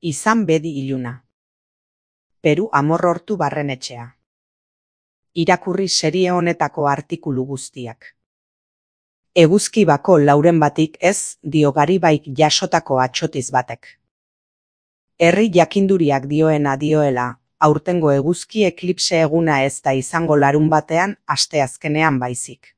Izan bedi iluna. Peru Amorortu Barrenetxea. Irakurri serie honetako artikulu guztiak. Eguzki bako lauren batik ez dio Garibaik jasotako atsotiz batek. Herri jakinduriak dioena dioela, aurtengo eguzki eklipse eguna ez da izango larun batean asteazkenean baizik.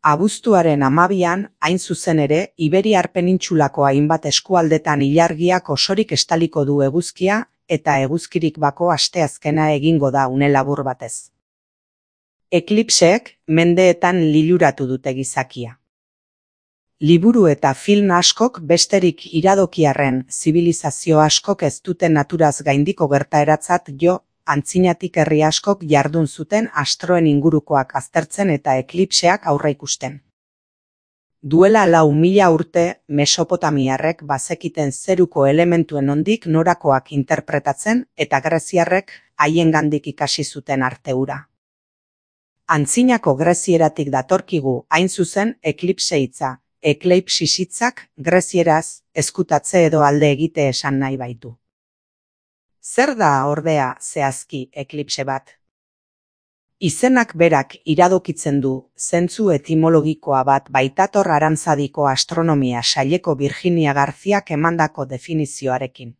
Abuztuaren 12an, hain zuzen ere, Iberiar penintsulako hainbat eskualdetan ilargiak osorik estaliko du eguzkia eta eguzkirik bako asteazkena egingo da une labur batez. Eklipseek mendeetan liluratu dute gizakia. Liburu eta film askok besterik iradokiarren zibilizazio askok ez duten naturaz gaindiko gertaeratzat jo, antzinatik herri askok jardun zuten astroen ingurukoak aztertzen eta eklipseak aurreikusten. Duela 4.000 urte, mesopotamiarrek bazekiten zeruko elementuen nondik norakoak interpretatzen eta greziarrek haiengandik ikasi zuten arte hura. Antzinako grezieratik datorkigu hain zuzen eklipse hitza, ekleipsis hitzak grezieraz ezkutatze edo alde egite esan nahi baitu. Zer da ordea zehazki eklipse bat? Izenak berak iradokitzen du zentzu etimologikoa bat baitator Arantzadiko astronomia saileko Virginia Garziak emandako definizioarekin.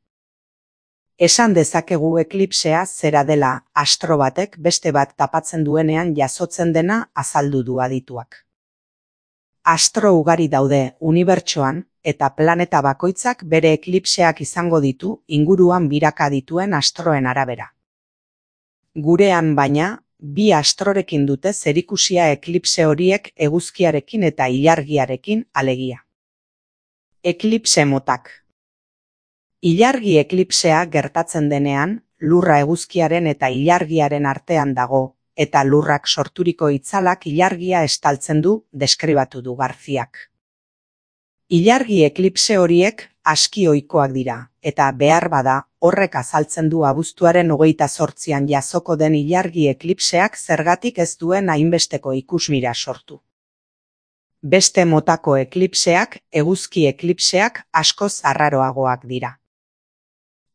Esan dezakegu eklipsea zera dela astro batek beste bat tapatzen duenean jasotzen dena azaldu du adituak. Astro ugari daude unibertsoan eta planeta bakoitzak bere eklipseak izango ditu inguruan biraka dituen astroen arabera. Gurean baina, bi astrorekin dute zerikusia eklipse horiek eguzkiarekin eta ilargiarekin alegia. Eklipse motak. Ilargi eklipsea gertatzen denean, lurra eguzkiaren eta ilargiaren artean dago, eta lurrak sorturiko itzalak ilargia estaltzen du, deskribatu du Garziak. Ilargi eklipse horiek aski ohikoak dira, eta behar bada, horrek azaltzen du abuztuaren 28an jasoko den ilargi eklipseak zergatik ez duen hainbesteko ikusmira sortu. Beste motako eklipseak, eguzki eklipseak askoz arraroagoak dira.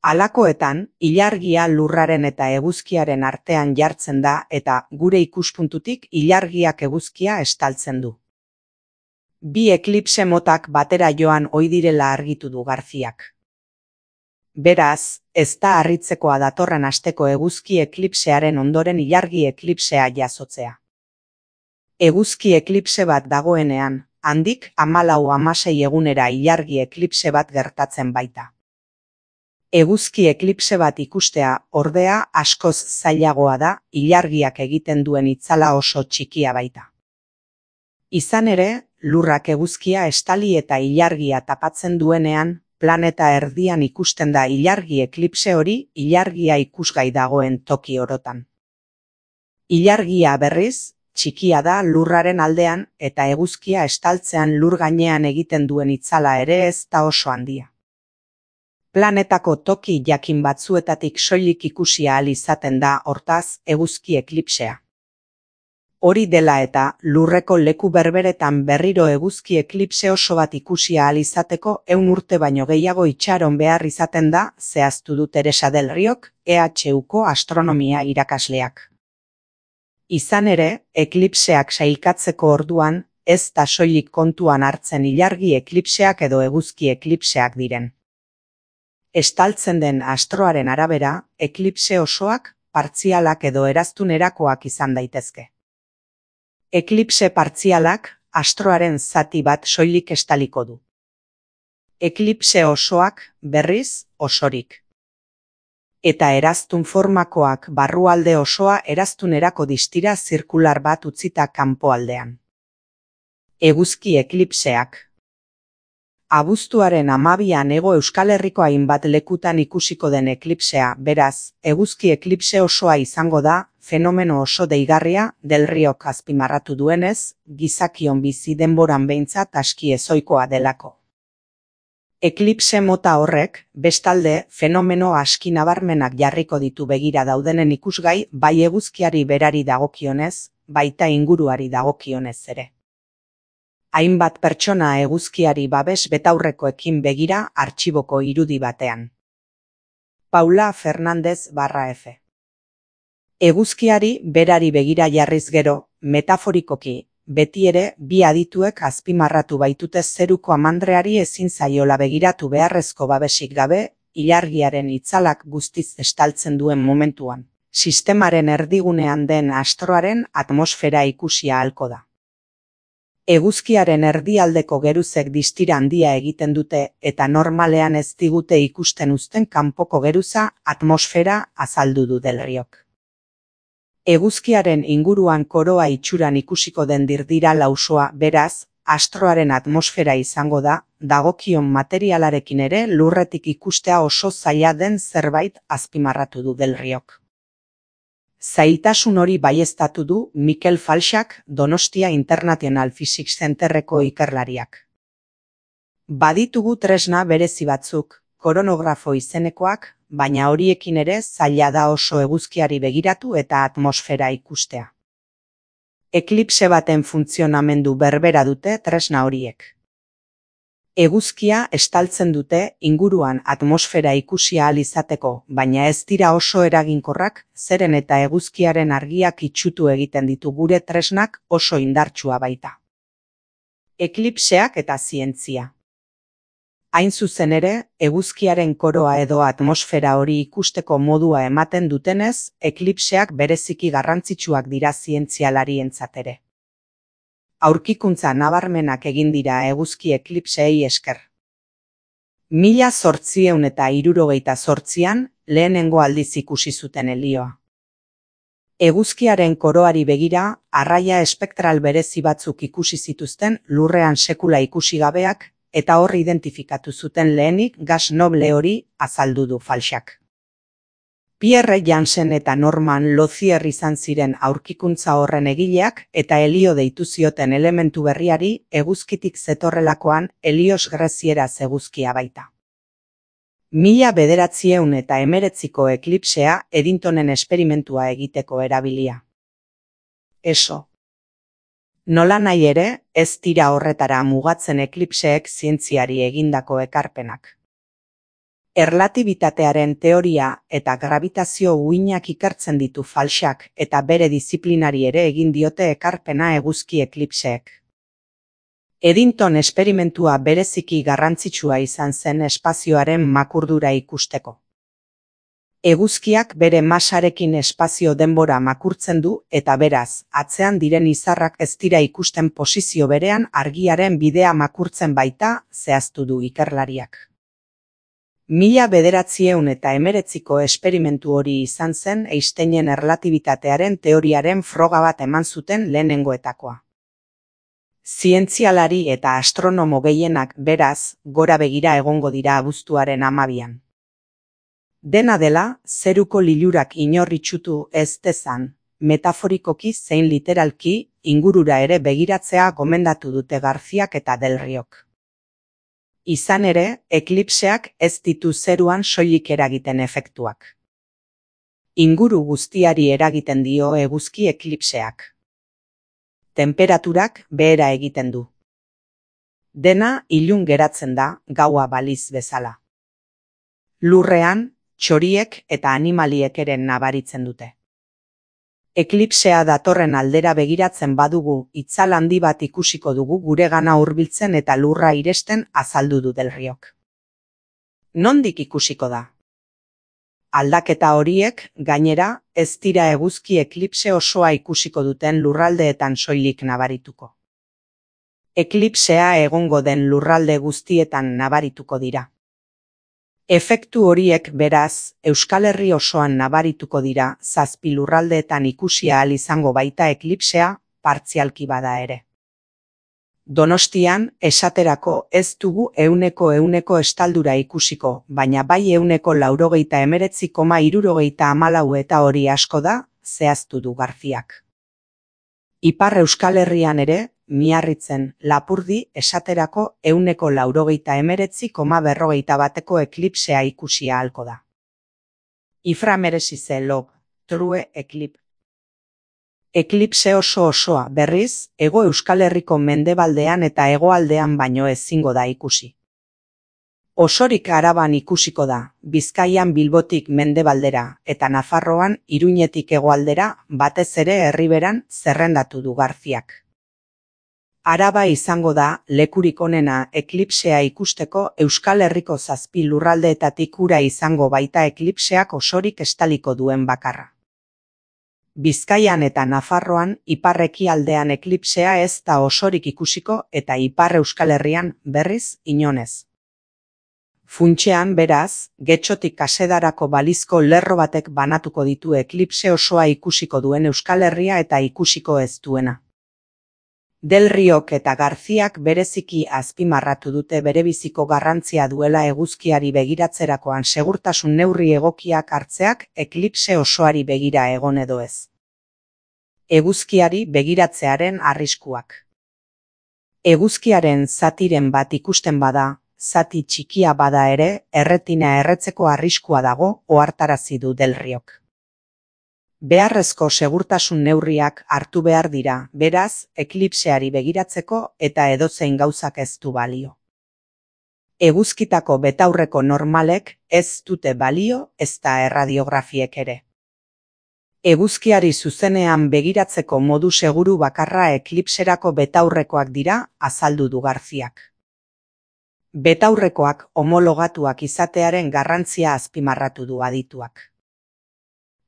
Halakoetan, ilargia lurraren eta eguzkiaren artean jartzen da eta gure ikuspuntutik ilargiak eguzkia estaltzen du. Bi eklipse motak batera joan ohi direla argitu du Garziak. Beraz, ez da harritzekoa datorren asteko eguzki eklipsearen ondoren ilargi eklipsea jasotzea. Eguzki eklipse bat dagoenean, handik 14-16 egunera ilargi eklipse bat gertatzen baita. Eguzki eklipse bat ikustea, ordea, askoz zailagoa da, ilargiak egiten duen itzala oso txikia baita. Izan ere, lurrak eguzkia estali eta ilargia tapatzen duenean, planeta erdian ikusten da ilargi eklipse hori ilargia ikusgai dagoen toki orotan. Ilargia berriz, txikia da lurraren aldean eta eguzkia estaltzean lur gainean egiten duen itzala ere ez da oso handia. Planetako toki jakin batzuetatik soilik ikusia ahal izaten da hortaz eguzki eklipsea. Hori dela eta lurreko leku berberetan berriro eguzki eklipse oso bat ikusia ahal izateko 100 urte baino gehiago itxaron behar izaten da, zehaztu du Teresa del Riok, EHUko astronomia irakasleak. Izan ere, eklipseak sailkatzeko orduan, ez da soilik kontuan hartzen ilargi eklipseak edo eguzki eklipseak diren. Estaltzen den astroaren arabera, eklipse osoak, partzialak edo eraztunerakoak izan daitezke. Eklipse partzialak, astroaren zati bat soilik estaliko du. Eklipse osoak, berriz, osorik. Eta eraztun formakoak barrualde osoa eraztunerako distira zirkular bat utzita kanpoaldean. Eguzki eklipseak. Abuztuaren 12an Hego Euskal Herriko hainbat lekutan ikusiko den eklipsea, beraz, eguzki eklipse osoa izango da, fenomeno oso deigarria, Del Riok azpimarratu duenez, gizakion bizi denboran behintzat aski ezohikoa delako. Eklipse mota horrek, bestalde, fenomeno aski nabarmenak jarriko ditu begira daudenen ikusgai, bai eguzkiari berari dagokionez, baita inguruari dagokionez ere. Hainbat pertsona eguzkiari babes betaurrekoekin begira artxiboko irudi batean. Paula Fernández/F. Eguzkiari berari begira jarriz gero, metaforikoki, beti ere bi adituek azpimarratu baitute zeruko amandreari ezin zaiola begiratu beharrezko babesik gabe, ilargiaren itzalak guztiz estaltzen duen momentuan, sistemaren erdigunean den astroaren atmosfera ikusi ahalko da. Eguzkiaren erdialdeko geruzek distira handia egiten dute eta normalean ez digute ikusten uzten kanpoko geruza atmosfera azaldu du Del Riok. Eguzkiaren inguruan koroa itxuran ikusiko den dirdira lausoa, beraz, astroaren atmosfera izango da, dagokion materialarekin ere lurretik ikustea oso zaila den zerbait azpimarratu du Del Riok. Zailtasun hori baieztatu du Mikel Falxak Donostia International Physics Centerreko ikerlariak. Baditugu tresna berezi batzuk, koronografo izenekoak, baina horiekin ere zaila da oso eguzkiari begiratu eta atmosfera ikustea. Eklipse baten funtzionamendu berbera dute tresna horiek. Eguzkia estaltzen dute inguruan atmosfera ikusi ahal izateko, baina ez dira oso eraginkorrak, zeren eta eguzkiaren argiak itsutu egiten ditu gure tresnak oso indartsua baita. Eklipseak eta zientzia. Hain zuzen ere, eguzkiaren koroa edo atmosfera hori ikusteko modua ematen dutenez, eklipseak bereziki garrantzitsuak dira zientzialarientzat ere. Aurkikuntza nabarmenak egin dira eguzki eklipseei esker. 1868an lehenengo aldiz ikusi zuten helioa. Eguzkiaren koroari begira, arraia espektral berezi batzuk ikusi zituzten lurrean sekula ikusi gabeak, eta hor identifikatu zuten lehenik gas noble hori azaldu du Falxak. Pierre Jansen eta Norman Lozier izan ziren aurkikuntza horren egileak eta helio deitu zioten elementu berriari eguzkitik zetorrelakoan Helios grezieraz eguzkia baita. 1919ko eklipsea Eddingtonen esperimentua egiteko erabilia. ESO. Nolanahi ere, ez dira horretara mugatzen eklipseek zientziari egindako ekarpenak. Erlatibitatearen teoria eta grabitazio uhinak ikertzen ditu Falxak eta bere disiplinari ere egin diote ekarpena eguzki eklipseek. Eddington esperimentua bereziki garrantzitsua izan zen espazioaren makurdura ikusteko. Eguzkiak bere masarekin espazio denbora makurtzen du eta beraz, atzean diren izarrak ez dira ikusten posizio berean argiaren bidea makurtzen baita, zehaztu du ikerlariak. 1919ko esperimentu hori izan zen Einsteinen erlatibitatearen teoriaren froga bat eman zuten lehenengoetakoa. Zientzialari eta astronomo gehienak beraz, gora begira egongo dira abuztuaren 12an. Dena dela, zeruko lilurak inor itsutu ez dezan, metaforikoki zein literalki, ingurura ere begiratzea gomendatu dute Garziak eta Del Riok. Izan ere, eklipseak ez ditu zeruan soilik eragiten efektuak. Inguru guztiari eragiten dio eguzki eklipseak. Temperaturak behera egiten du. Dena ilun geratzen da, gaua baliz bezala. Lurrean, txoriek eta animaliek ere nabaritzen dute. Eklipsea datorren aldera begiratzen badugu, itzal handi bat ikusiko dugu guregana hurbiltzen eta lurra iresten azaldu du Del Riok. Nondik ikusiko da? Aldaketa horiek, gainera, ez dira eguzki eklipse osoa ikusiko duten lurraldeetan soilik nabarituko. Eklipsea egongo den lurralde guztietan nabarituko dira. Efektu horiek beraz, Euskal Herri osoan nabarituko dira, 7 lurraldeetan ikusi ahal izango baita eklipsea, partzialki bada ere. Donostian, esaterako ez dugu 100% estaldura ikusiko, baina bai 199,74 eta hori asko da, zehaztu du Garziak. Ipar Euskal Herrian ere, Miarritzen, Lapurdi, esaterako 199,41 eklipsea ikusi ahalko da. Iframeresize log, true eklip. Eklipse osoa, berriz, Hego Euskal Herriko mendebaldean eta hegoaldean baino ezingo da ikusi. Osorik Araban ikusiko da, Bizkaian Bilbotik mendebaldera eta Nafarroan Iruñetik hegoaldera, batez ere Erriberan zerrendatu du Garziak. Araba izango da lekurik onena eklipsea ikusteko. Euskal Herriko 7 lurraldeetatik ura izango baita eklipseak osorik estaliko duen bakarra. Bizkaian eta Nafarroan ipar-ekialdean eklipsea ez da osorik ikusiko eta Ipar Euskal Herrian berriz inonez. Funtsean, beraz, Getxotik Kasedarako balizko lerro batek banatuko ditu eklipse osoa ikusiko duen Euskal Herria eta ikusiko ez duena. Del Riok eta Garziak bereziki azpimarratu dute berebiziko garrantzia duela eguzkiari begiratzerakoan segurtasun neurri egokiak hartzeak eklipse osoari begira egon edo ez. Eguzkiari begiratzearen arriskuak. Eguzkiaren zatiren bat ikusten bada, zati txikia bada ere, erretina erretzeko arriskua dago, ohartarazi du Del Riok. Beharrezko segurtasun neurriak hartu behar dira, beraz, eklipseari begiratzeko eta edozein gauzak ez du balio. Eguzkitako betaurreko normalek ez dute balio, ezta erradiografiek ere. Eguzkiari zuzenean begiratzeko modu seguru bakarra eklipserako betaurrekoak dira, azaldu du Garziak. Betaurrekoak homologatuak izatearen garrantzia azpimarratu du adituak.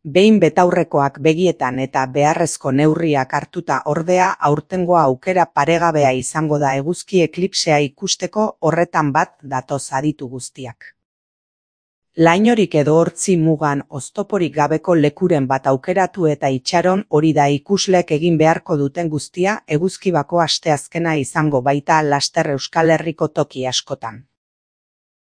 Behin betaurrekoak begietan eta beharrezko neurriak hartuta ordea, aurtengoa aukera paregabea izango da eguzki eklipsea ikusteko. Horretan bat datoz aditu guztiak. Lainorik edo hortzi mugan oztoporik gabeko lekuren bat aukeratu eta itxaron, hori da ikuslek egin beharko duten guztia. Eguzkibako asteazkena izango baita laster Euskal Herriko toki askotan.